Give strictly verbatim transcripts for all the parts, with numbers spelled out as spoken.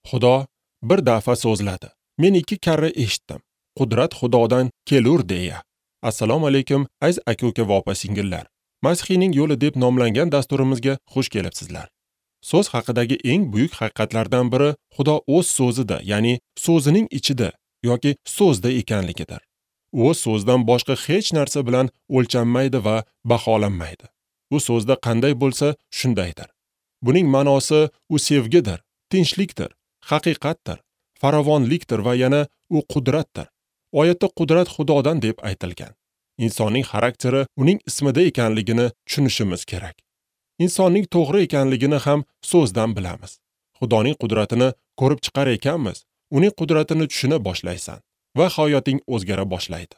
Xudo bir dafa so'zladi. Men ikki karra eshitdim. Qudrat Xudodan kelur deya. Assalomu alaykum aziz aka-uka va opa-singillar. Masihiyning yo'li deb nomlangan dasturimizga xush kelibsizlar. So'z haqidagi eng buyuk haqiqatlardan biri Xudo o'z so'zida, ya'ni so'zining ichida yoki so'zda ekanligidir. U so'zdan boshqa hech narsa bilan o'lchanmaydi va baholanmaydi. U so'zda qanday bo'lsa, shundaydir. Buning ma'nosi u sevgidir, tinchlikdir, haqiqatdir, farovonlikdir va yana u qudratdir. Oyatda qudrat Xudodan deb aytilgan. Insonning xarakteri uning ismida ekanligini tushunishimiz kerak. Insonning to'g'ri ekanligini ham so'zdan bilamiz. Xudoning qudratini ko'rib chiqar ekanmiz, uning qudratini tushuna boshlaysan va hayoting o'zgara boshlaydi.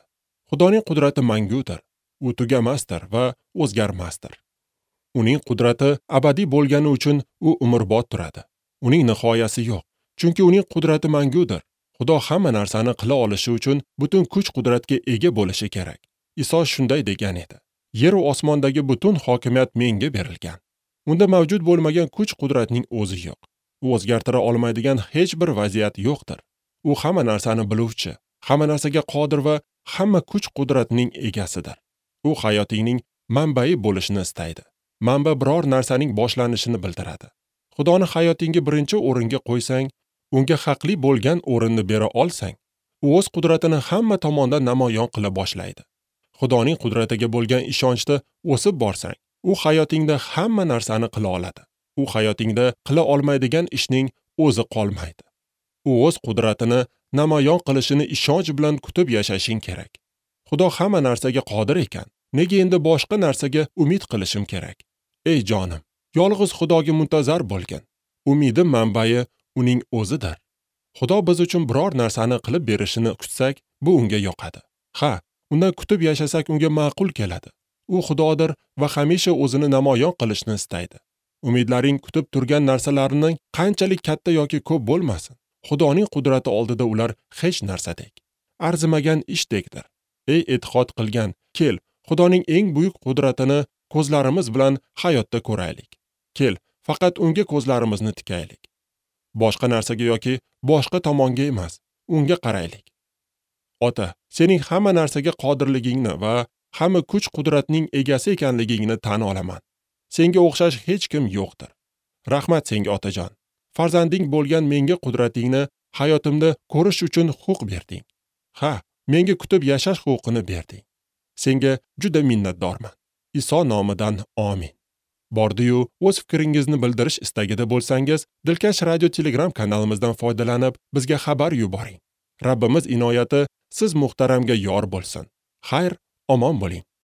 Xudoning qudrati mangudir, u tugamasdir va o'zgarmasdir. Uning qudrati abadiy bo'lgani uchun u umrbod turadi. Uning nihoyasi yo'q, chunki uning qudrati mangudir. Xudo hamma narsani qila olishi uchun butun kuch-qudratga ega bo'lishi kerak. Iso shunday degan edi: Yer va osmondagi butun hokimiyat menga berilgan. Unda mavjud bo'lmagan kuch-qudratning o'zi yo'q. U o'zgartira olmaydigan hech bir vaziyat yo'qdir. U hamma narsani biluvchi, hamma narsaga qodir va hamma kuch-qudratning egasidir. U hayotingning manbai bo'lishini istaydi. Manba biror narsaning boshlanishini bildiradi. Xudoni hayotingga birinchi o'ringa qo'ysang, unga haqli bo'lgan o'rinni bera olsang, u o'z qudratini hamma tomondan namoyon qila boshlaydi. Xudoning qudratiga bo'lgan ishonchda o'sib borsang, u hayotingda hamma narsani qila oladi. U hayotingda qila olmaydigan ishning o'zi qolmaydi. U o'z qudratini namoyon qilishini ishonch bilan kutib yashashing kerak. Xudo hamma narsaga qodir ekan, nega endi boshqa narsaga umid qilishim kerak? Ey jonim, yolg'iz Xudoga muntazar bo'lgin. Umidim manbai uning o'zidir. Xudo biz uchun biror narsani qilib berishini kutsak, bu unga yoqadi. Ha, undan kutib yashasak unga ma'qul keladi. U Xudodir va hamisha o'zini namoyon qilishni istaydi. Umidlaring kutib turgan narsalarining qanchalik katta yoki ko'p bo'lmasin, Xudoning qudrati oldida ular hech narsadek, arzimagan ishdekdir. Ey e'tiqod qilgan, kel, Xudoning eng buyuk qudratini ko'zlarimiz bilan hayotda ko'raylik. Kel, faqat unga ko'zlarimizni tikaylik. Boshqa narsaga yoki boshqa tomonga emas, unga qaraylik. Ota, sening hamma narsaga qodirligingni va hamma kuch-qudratning egasi ekanligingni tan olaman. Senga o'xshash hech kim yo'qdir. Rahmat senga, otajon. Farzanding bo'lgan menga qudratingni hayotimda ko'rish uchun huquq berding. Ha, menga kutib yashash huquqini berding. Senga juda minnatdorman. Iso nomidan amin. Bordi-yu, o'z fikringizni bildirish istagida bo'lsangiz, Dilkash Radio Telegram kanalimizdan foydalanib, bizga xabar yuboring. Rabbimiz inoyati siz muhtaramga yor bo'lsin. Xayr, omon bo'ling.